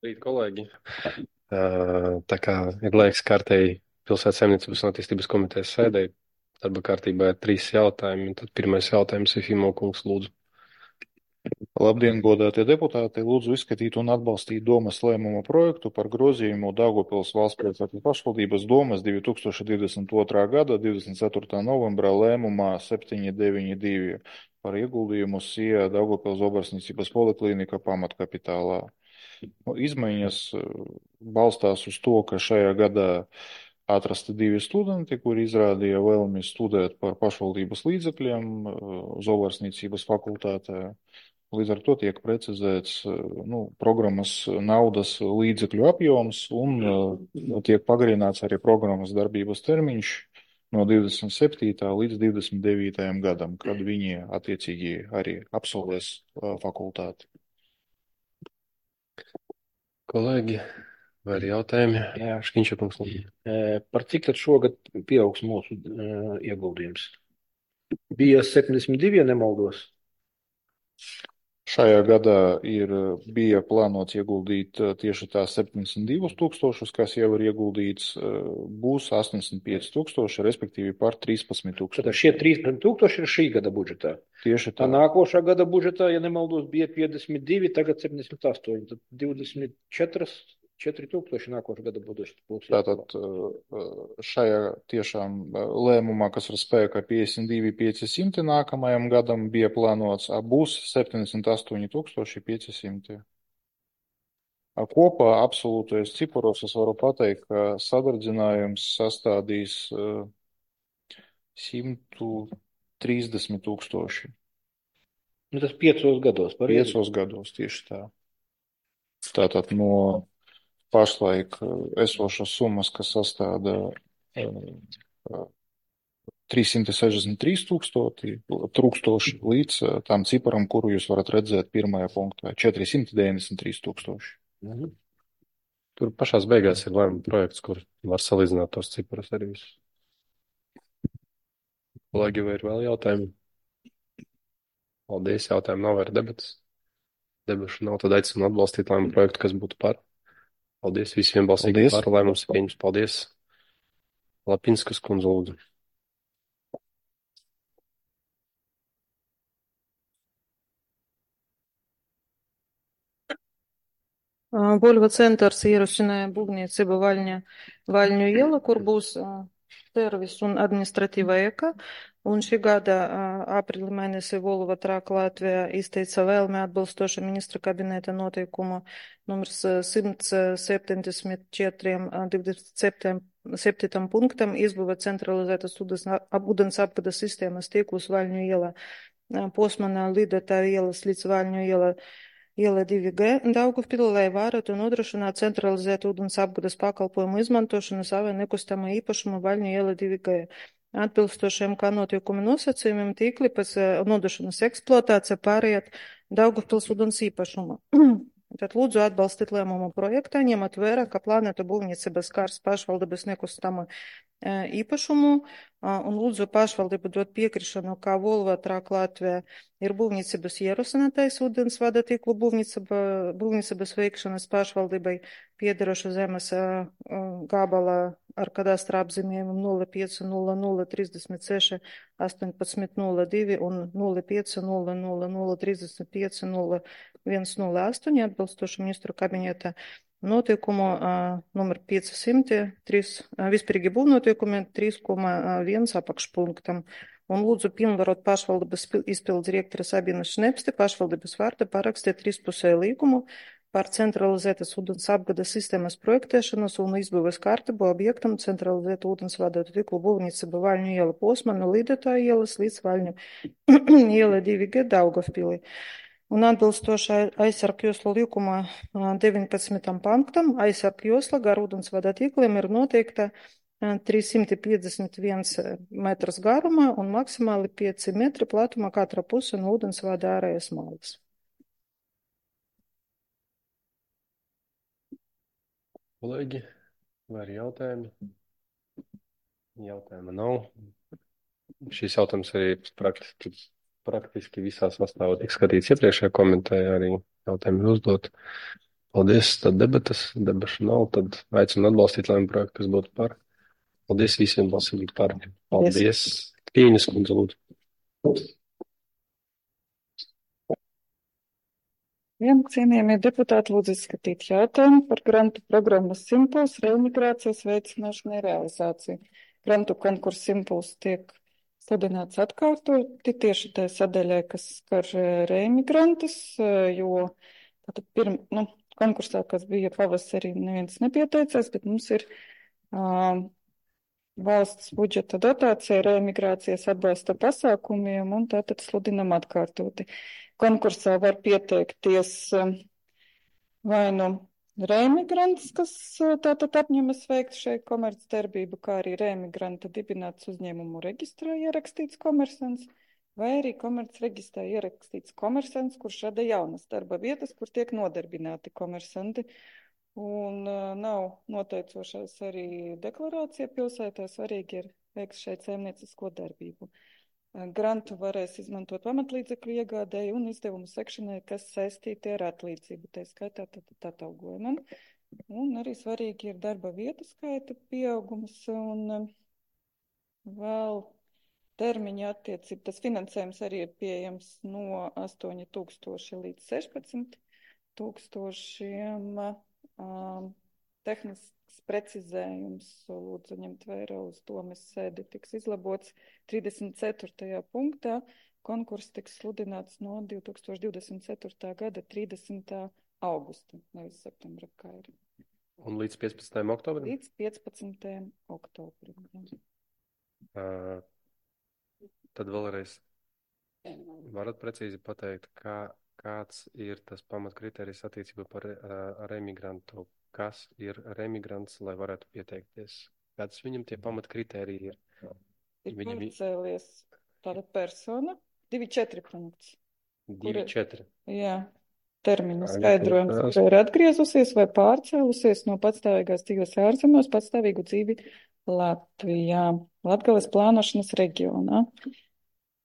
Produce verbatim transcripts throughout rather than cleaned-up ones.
Rīt, kolēģi. Uh, Tā kā ir laiks kārtēji pilsētas saimniecības un attīstības komitejas sēdēji, darba kārtībā ir trīs jautājumi. Tad pirmais jautājums ir Fimo kungs, lūdzu. Labdien, godātie deputāti! Lūdzu izskatīt un atbalstīt domas lēmuma projektu par grozījumu Daugavpils valstspilsētas pašvaldības domas divi tūkstoši divdesmit otrā gada divdesmit ceturtā novembrā lēmumā septiņi deviņi divi par ieguldījumu SIA Daugavpils Obarsniecības poliklīnika pamatkapitālā. Nu, izmaiņas eh, balstās uz to, ka šajā gadā atrasti divi studenti, kuri izrādīja vēlmi studēt par pašvaldības līdzekļiem eh, Zobarsniecības fakultātē. Līdz ar to tiek precizēts eh, nu, programmas naudas līdzekļu apjoms un eh, tiek pagarināts arī programmas darbības termiņš no divdesmit septītā līdz divdesmit devītajam gadam, kad viņi attiecīgi arī absolvēs eh, fakultāti. Kolēģi, vai ir jautājumi? Jā. Škiņša kungs, lūdzu. E, Par cik tad šogad pieaugs mūsu e, ieguldījums? Bija septiņdesmit divi, ja nemaldos. Šajā gadā ir, bija plānots ieguldīt eh, tieši tās septiņdesmit divus tūkstošus, kas jau ir ieguldīts, eh, būs astoņdesmit pieci tūkstoši, respektīvi par trīspadsmit Tad tūkstoši. šie trīspadsmit tūkstoši ir šī gada budžetā. Tieši Tā tā. nākošā gada budžetā, ja nemaldos, bija piecdesmit divi, tagad septiņdesmit astoņi. Tad divdesmit četri tūkstoši nākošā gada budžetā būs. Tātad eh, šajā tiešām eh, lēmumā, kas ir spēkā piecdesmit divi piecsimt nākamajam gadam, bija plānots, a, būs septiņdesmit astoņi tūkstoši pieci simti. Kopā absolūtais ciparos es varu pateikt, ka sadardzinājums sastādīs uh, simt trīsdesmit tūkstoši. Nu, tas piecos gados, pareizi? Piecos gados tieši tā. Tātad no pašlaik uh, esošas summas, kas sastāda uh, trīssimt sešdesmit trīs tūkstoši, tūkstoši līdz uh, tam ciparam, kuru jūs varat redzēt pirmajā punktā - četrsimt deviņdesmit trīs tūkstoši. Mhm. Tur pašās beigās ir lēmuma projekts, kur var salīdzināt tos ciprus arī visus. Kolēģi, vai ir vēl jautājumi? Paldies, jautājumu nav, vai ir debatas? Debašu nav, tad aicinu atbalstīt lēmuma projektu, kas būtu par. Paldies, visiem balsīgi Paldies. par, lēmums ir pieņems. Paldies. Lapinskas kundze, lūdzu. Volvo centrs ierosināja būvniecību Vaļņa, Vaļņu iela, kur būs uh, servis un administratīva eka. Un šī gada uh, aprīļa mēnesī Volvo Trāk Latvijā izteica vēlmi atbilstoši ministra kabineta noteikumu numurs simt septiņdesmit četri divdesmit septītam punktam izbūvēt centralizētas ūdens apgādes sistēmas tīklus Vaļņu ielā. Posmanā Lidotāju ielas līdz Vaļņu ielā Iela divi G Daugavpilī, lai varētu nodrošināt centralizētu ūdens apgādes pakalpojumu izmantošanu savai nekustamā īpašuma Vaļņu iela divi G. Atbilstošiem kā notiekumu nosacījumiem tīkli pēc nodošanas eksploatācija pārējāt Daugavpils ūdens īpašumu. Tad lūdzu atbalstīt lēmumu projektā, ņemot vērā, ka plānota būvniecības kārs pašvaldības nekustama īpašumu, un lūdzu pašvaldību dot piekrišanu, kā Volvo Trāk Latvijā ir būvniecības ierosinātais ūdens vada tīklu būvniecība, būvniecības veikšanas pašvaldībai piederošu zemes gabala ar kadastra apzīmējumu nulle pieci nulle nulle trīsdesmit seši astoņpadsmit nulle divi un nulle pieci nulle nulle nulle trīsdesmit pieci nulle viens nulle astoņi atbilstoši ministru kabineta noteikumu uh, numur piecsimt trīs, uh, vispārīgi būvnoteikumi trīs koma viens apakšpunktam. Un lūdzu pilnvarot pašvaldības izpildu direktora Sabinas Šnepsti pašvaldības vārda parakstīt trīspusēju līgumu par centralizētas ūdens apgādes sistēmas projektēšanas un izbūves kārtību objektam centralizētu ūdens vadētu tīklu būvniecība Vaļņu iela posma no Lidotāju ielas līdz Vaļņu iela divi G Daugavpilī. Un atbilstoši aizsargu joslu līguma deviņpadsmitam punktam, aizsargu josla gar ūdens vada tīkliem ir noteikta trīssimt piecdesmit viens metrs garumā un maksimāli pieci metri platumā katra puse no ūdens vada ārējas malas. Kolēģi, vai ir jautājumi? Jautājuma nav. Šis jautājums arī praktiski, praktiski visā sastāvā tika skatīts iepriekšējā komentējā, arī jautājumi ir uzdot. Paldies, tad debatas, debašu nav, tad aicinu atbalstīt lēmumu projektu, kas būtu par. Paldies visiem balsojot par. Paldies. Kīņas kundze, lūdzu. Jā, cienījamie deputāti, lūdzu izskatīt jautājumu par grantu programmas Simpuls reimigrācijas veicināšanu un realizāciju. Grantu konkurss Simpuls tiek sludināts atkārtoti tieši tai sadaļai, kas skar reimigrantus, jo tātad pirm, nu, konkursā, kas bija pavasarī, neviens nepieteicās, bet mums ir uh, valsts budžeta dotācija reimigrācijas atbalsta pasākumiem un tātad sludinam atkārtoti. Konkursā var pieteikties vai nu reimigrants, kas tātad apņemas veikt šeit komercdarbību, kā arī reimigranta dibināts uzņēmumu reģistrā ierakstīts komersants, vai arī komercreģistrā ierakstīts komersants, kurš rada jaunas darba vietas, kur tiek nodarbināti komersanti. Un uh, nav noteicošais arī deklarācija pilsētā, svarīgi ir veikt šeit saimniecisko darbību. Grantu varēs izmantot pamatlīdzekļu iegādēji un izdevumu sekšanai, kas saistīti ar atlīdzību, tā skaitā tātad atalgojumam. Un arī svarīgi ir darba vietu skaita pieaugums un vēl termiņa attiecība. Tas finansējums arī ir pieejams no astoņi tūkstoši līdz sešpadsmit tūkstošiem. Um, tehnisks precizējums, lūdzu ņemt vērā uz domes sēdi, tiks izlabots trīsdesmit ceturtajā punktā. Konkurss tiks sludināts no divi tūkstoši divdesmit ceturtā gada trīsdesmitā augusta, nevis septembra, kā ir. Un līdz piecpadsmitajam oktobrim? Līdz piecpadsmitajam oktobrim. Uh, tad vēlreiz varat precīzi pateikt, kā kāds ir tas pamatkritērijs attiecībā par uh, remigrantu? Kas ir remigrants, lai varētu pieteikties? Kāds viņam tie pamatkritēriji ir? Ir Viņam... pārcēlies tāda persona, divi četri punkts. divi četri. Jā, termiņu skaidrojums, kur ir atgriezusies vai pārcēlusies no patstāvīgās dzīves ārzemēs patstāvīgu dzīvi Latvijā, Latgales plānošanas reģionā.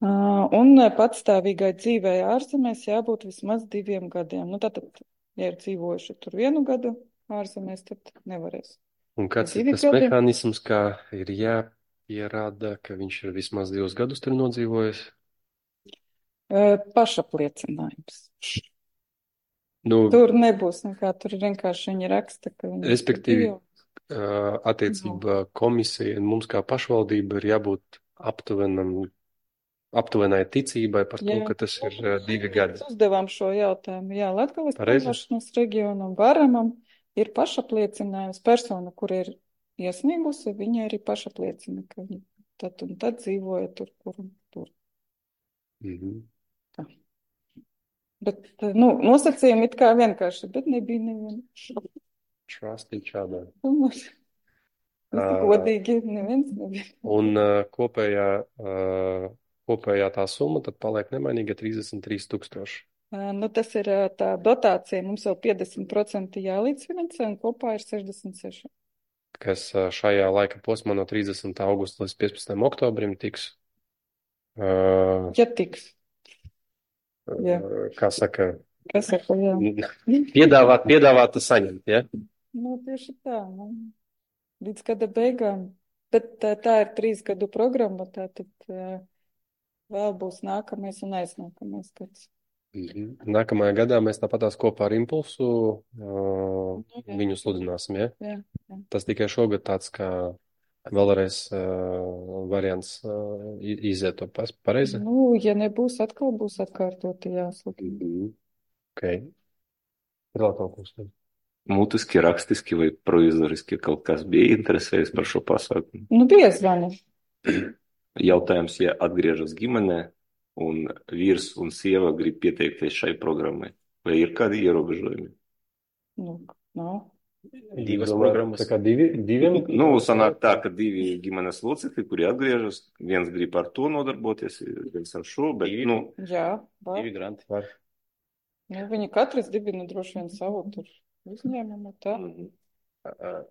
Uh, un patstāvīgai dzīvei ārzemēs jābūt vismaz diviem gadiem. Nu, tātad, ja ir dzīvojuši tur vienu gadu ārzemēs, tad nevarēs. Un kāds ir tas gadiem? Mehānisms, kā ir jāpierāda, ka viņš ir vismaz divus gadus tur nodzīvojis? Uh, pašapliecinājums. Nu, tur nebūs nekā, tur vienkārši viņi raksta, ka viņi... Respektīvi, uh, attiecībā komisija un mums kā pašvaldība ir jābūt aptuvenam aptuvenai ticībai par jā. To, ka tas ir uh, divi gadi. Mēs uzdevām šo jautājumu. Jā, Latgales plānošanas reģionam varamam ir pašapliecinājums. Persona, kur ir iesniegusi, viņa arī pašapliecina, ka viņa tad un tad dzīvoja tur, kur un tur. Mm-hmm. Tā. Bet, nu, nosacījumi it kā vienkārši, bet nebija neviena. Trust each other. Tas godīgi neviens nebija. Un uh, kopējā... Uh, Kopējā tā summa tad paliek nemainīga trīsdesmit trīs tūkstoši. Nu, tas ir tā dotācija, mums vēl piecdesmit procenti jālīdzfinansē un kopā ir sešdesmit seši. Kas šajā laika posmā no trīsdesmitā augusta līdz piecpadsmitajam oktobrim tiks. Uh, ja tiks. Jā. Uh, kā saka? Kas saka, jā. Piedāvāt, piedāvāt saņemt, ja? Nu, tieši tā. Nu, līdz gada beigām. Bet tā, tā ir trīs gadu programma, tā tad... Uh, vēl būs nākamais un aiznākamais gads. Mm-hmm. Nākamajā gadā mēs tāpatās kopā ar Impulsu uh, jā. Viņu sludināsim, ja? Jā, jā. Tas tikai šogad tāds kā vēlreiz uh, variants uh, iziet to pareizi? Nu, ja nebūs, atkal būs atkārtoti jāsludina. Mm-hmm. Ok. Ir vēl kaut kas. Mutiski, rakstiski vai provizoriski kaut kas bija interesējis par šo pasākumu? Nu, bija zvani. Jautājums, ja atgriežas ģimenē un vīrs un sieva grib pieteikties šai programmai, vai ir kādi ierobežojumi? Nu, nav. Divas programmas. Tā kā divi, diviem? Nu, sanāk tā, ka divi ģimenes locekļi, kuri atgriežas, viens grib ar to nodarboties, viens ar šo, bet, divi, nu... Jā, var. Divi granti var. Nu, viņi katrs dibina droši vien savu tur uzņēmumu, tā. Mm-hmm.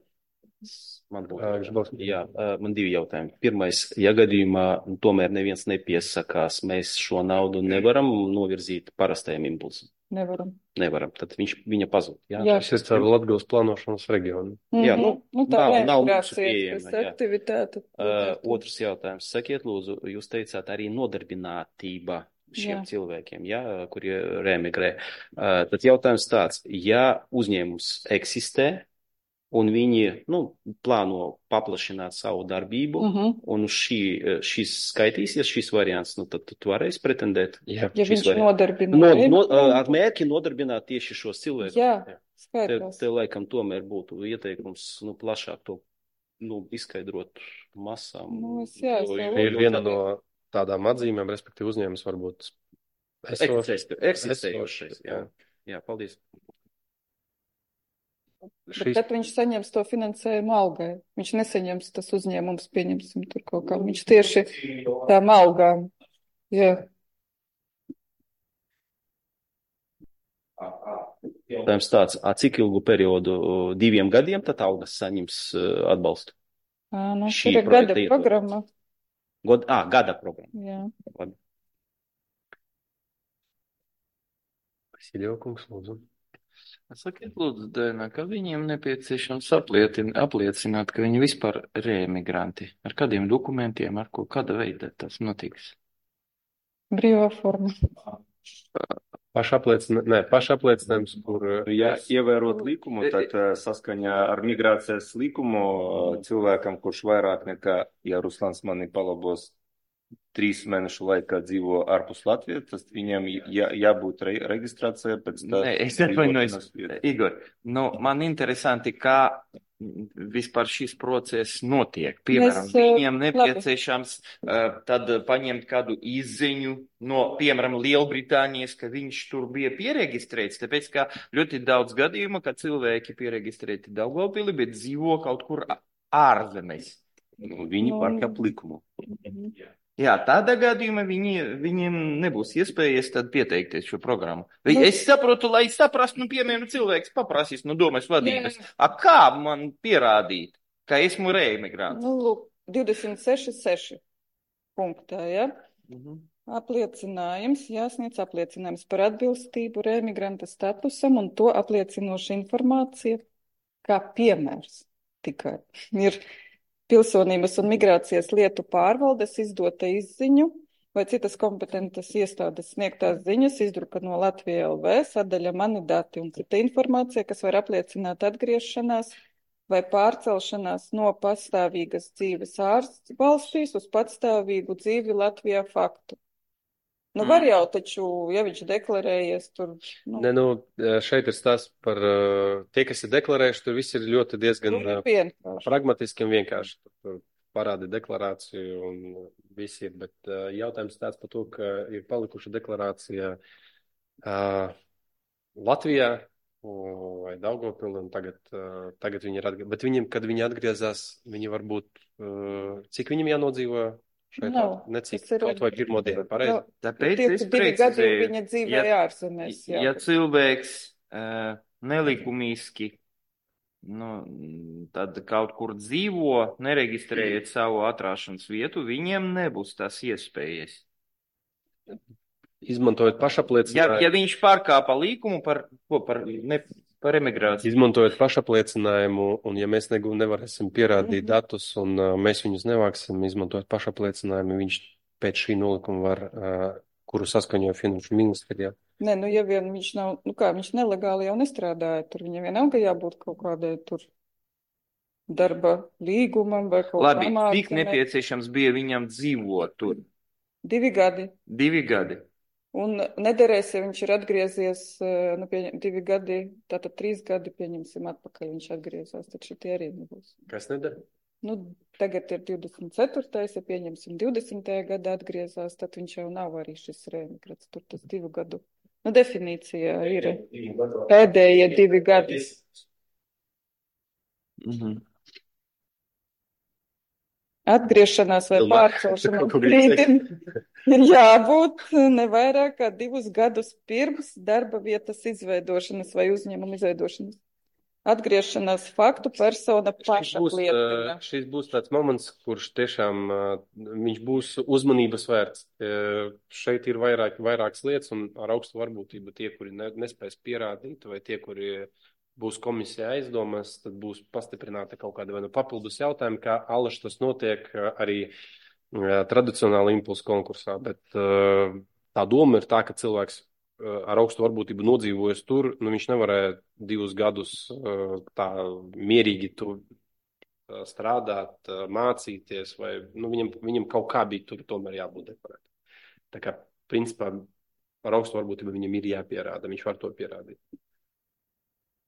Man būtu, jā, man divi jautājumi. Pirmais, ja gadījumā tomēr neviens nepiesakās, mēs šo naudu nevaram novirzīt parastajam impulsam? Nevaram. Nevaram, tad viņš, viņa pazūd. Jā, Jā. Tas ir caur Latgales plānošanas reģionu. Jā, nu, nu, tā nav, nav mūsu reintegrācijas pieejama. tas Jā. aktivitāte. Uh, otrs jautājums. Sakiet, lūdzu, jūs teicāt arī nodarbinātība šiem Jā. cilvēkiem, jā, kuri reemigrē. Uh, tad jautājums tāds, ja uzņēmums eksistē, un viņi, nu, plāno paplašināt savu darbību, Uh -huh. un šī, šis skaitīsies, šis variants, nu, tad tu varēsi pretendēt. Jā. Ja Šis viņš variants. nodarbina. No, no, emigrantu, ar mērķi nodarbināt tieši šos cilvēkus. Jā, Te, skaidrs. te laikam tomēr būtu ieteikums, nu, plašāk to, nu, izskaidrot masām. Nu, es jā, es Jo- jau- jo- Ir viena no tādām atzīmēm, respektīvi uzņēmums varbūt esošs. Eksistē- Eksistējošais, jā. Jā, paldies. Bet Šis, tad viņš saņems to finansējumu algai. Viņš nesaņems tas uzņēmums, pieņemsim tur kaut kā. Viņš tieši tām algām. Jā. Jautājums tāds, a cik ilgu periodu, diviem gadiem, tad algas saņems uh, atbalstu? Ā, nu, Šī tur ir projekta gada ietvaros. programma. God, à, gada programma. Jā. Labi. Vasiljokungs, lūdzu. Sakiet, lūdzu, Daina, ka viņiem nepieciešams aplietin, apliecināt, ka viņi vispār ir emigranti. Ar kādiem dokumentiem, ar ko, kāda veida tas notiks? Brīvā forma. Pašapliecina, ne, pašapliecinājums, kur Ja ievērot likumu, tad eh, saskaņā ar migrācijas likumu eh, cilvēkam, kurš vairāk nekā, ja Ruslans mani palabos, trīs mēnešu laikā dzīvo ārpus Latvijas, tas viņam jā, jābūt re, reģistrācijai pēc tā. Nē, es atvainojos, Igor. Nu, man interesanti, kā vispār šis process notiek. Piemēram, Mēs, eh, viņiem nepieciešams uh, tad paņemt kādu izziņu no, piemēram, Lielbritānijas, ka viņš tur bija pieregistrēts, tāpēc, ka ļoti daudz gadījumu, ka cilvēki pieregistrēti Daugavpilī, bet dzīvo kaut kur ārzemēs. Nu, viņi Nu, pārkāp likumu. Jā, tādā gadījumā viņi, viņiem nebūs iespējas tad pieteikties šo programmu. Vai Nu- es saprotu, lai saprastu, nu, piemēram, cilvēks paprasīs no domas vadības. Jā. A kā man pierādīt, ka esmu reemigrants? Nu, lūk, divdesmit seši seši punktā, ja? Mhm. Apliecinājums, jāsniedz apliecinājums par atbilstību reemigranta statusam un to apliecinoša informācija, kā piemērs tikai ir pilsonības un migrācijas lietu pārvaldes izdota izziņu vai citas kompetentas iestādes sniegtās ziņas, izdruka no Latvija L V, sadaļa mani dati un cita informācija, kas var apliecināt atgriešanās vai pārcelšanās no pastāvīgas dzīves ārvalstīs uz patstāvīgu dzīvi Latvijā faktu. Nu, var jau taču, ja viņš deklarējies tur, nu, Ne, nu, šeit ir stāsts par uh, tie, kas ir deklarējuši, tur viss ir ļoti diezgan nu, uh, vienkārši. pragmatiski un vienkārši. Tur, tur parādi deklarāciju un viss ir, bet uh, jautājums tāds par to, ka ir palikuša deklarācija uh, Latvijā uh, vai Daugavpilī, un tagad, uh, tagad viņi ir atgriezās. Bet viņiem, kad viņi atgriezās, viņi varbūt, uh, cik viņiem jānodzīvo šeit? Nav. Necik, Tas ir- kaut vai pirmo dienu, pareizi? Nu, Tāpēc Tie, es ka divi gadi precizēju, viņa dzīvēja ja, ārzemēs. Jā. ja cilvēks uh, nelikumīski, nu, tad kaut kur dzīvo, nereģistrējot savu atrāšanas vietu, viņiem nebūs tas iespējas. Izmantojot Ja, pašapliecinājumu. ja viņš pārkāpa līkumu par, ko, par, ne, par emigrāciju. Izmantojot pašapliecinājumu, un ja mēs negu- nevarēsim pierādīt Mhm. datus, un uh, mēs viņus nevāksim, izmantojot pašapliecinājumu, viņš pēc šī nolikuma var, uh, kuru saskaņoja Finanšu ministrijā. Nē, nu, ja vien viņš nav, nu kā, viņš nelegāli jau nestrādāja, tur viņam vienalga jābūt kaut kādai tur darba līgumam vai kaut Labi, kam cik ārzemē. nepieciešams bija viņam dzīvot tur? Divi gadi. Divi gadi. Un nederēs, ja viņš ir atgriezies, eh, nu, pieņem, divi gadi, tātad trīs gadi, pieņemsim, atpakaļ viņš atgriezās, tad šitie arī nebūs. Kas nedara? Nu, tagad ir divdesmit ceturtais, ja pieņemsim divdesmitajā gadā atgriezās, tad viņš jau nav arī šis reemigrants, tur tas divu gadu. Nu, definīcijā ir pēdējie divi gadi. Mhm. Atgriešanās vai Ilma, pārcelšanās kaut ko gribi brīdim ir jābūt ne vairāk kā divus gadus pirms darba vietas izveidošanas vai uzņēmuma izveidošanas. atgriešanās faktu persona Šis paša būs, liecina. uh, šis būs tāds moments, kurš tiešām uh, viņš būs uzmanības vērts. Uh, šeit ir vairāk, vairākas lietas, un ar augstu varbūtību tie, kuri ne, nespēs pierādīt, vai tie, kuri būs komisija aizdomās, tad būs pastiprināta kaut kāda vai nu papildus jautājumi, kā alaši tas notiek uh, arī uh, tradicionāli impulsu konkursā. Bet uh, tā doma ir tā, ka cilvēks ar augstu varbūtību nodzīvojas tur, nu viņš nevarēja divus gadus tā mierīgi tu strādāt, mācīties, vai nu, viņam, viņam kaut kā bija tur tomēr jābūt dekorēt. Tā kā, principā, ar augstu varbūtību viņam ir jāpierāda, viņš var to pierādīt.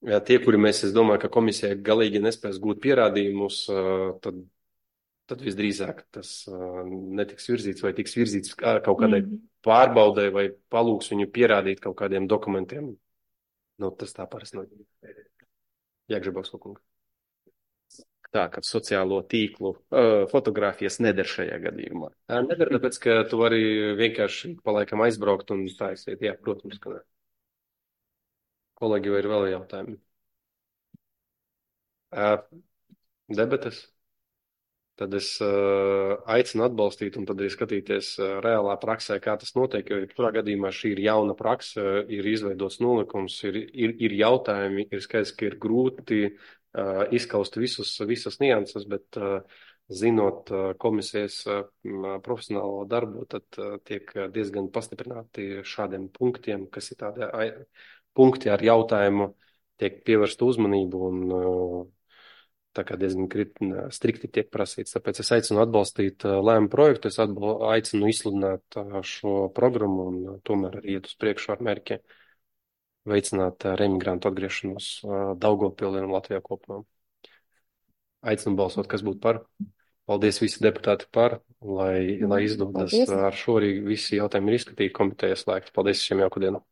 Jā, tie, kuri mēs, es domāju, ka komisija galīgi nespēs gūt pierādījumus, tad, tad visdrīzāk tas netiks virzīts vai tiks virzīts kaut kādai mm. pārbaudē vai palūks viņu pierādīt kaut kādiem dokumentiem. Nu, tas tā parasti nav. Jāgžabausko kunga. Tā, ka sociālo tīklu uh, fotogrāfijas neder šajā gadījumā. Neder, tāpēc, ka tu vari vienkārši palaikam aizbraukt un tā aiziet. Jā, protams, ka ne. Kolēģi, vai ir vēl jautājumi? Uh, debates? Tad es uh, aicinu atbalstīt un tad arī skatīties uh, reālā praksē, kā tas notiek, jo kurā gadījumā šī ir jauna praksa, ir izveidots nolikums, ir, ir, ir jautājumi, ir skaidrs, ka ir grūti uh, izskaust visus, visas nianses, bet uh, zinot uh, komisijas uh, profesionālo darbu, tad uh, tiek diezgan pastiprināti šādiem punktiem, kas ir tādi ai, punkti ar jautājumu, tiek pievērsta uzmanību un uh, tā kā diezgan strikti tiek prasīts. Tāpēc es aicinu atbalstīt lēmumu projektu, es atbal, aicinu izsludināt šo programmu un tomēr arī iet uz priekšu ar mērķi veicināt remigrantu atgriešanos Daugavpilī un Latvijā kopumā. Aicinu balsot, kas būtu par. Paldies visi deputāti par, lai, lai izdodas. Paldies. Ar šo arī visi jautājumi ir izskatīti komitejas slēgti. Paldies visiem, jauku dienu.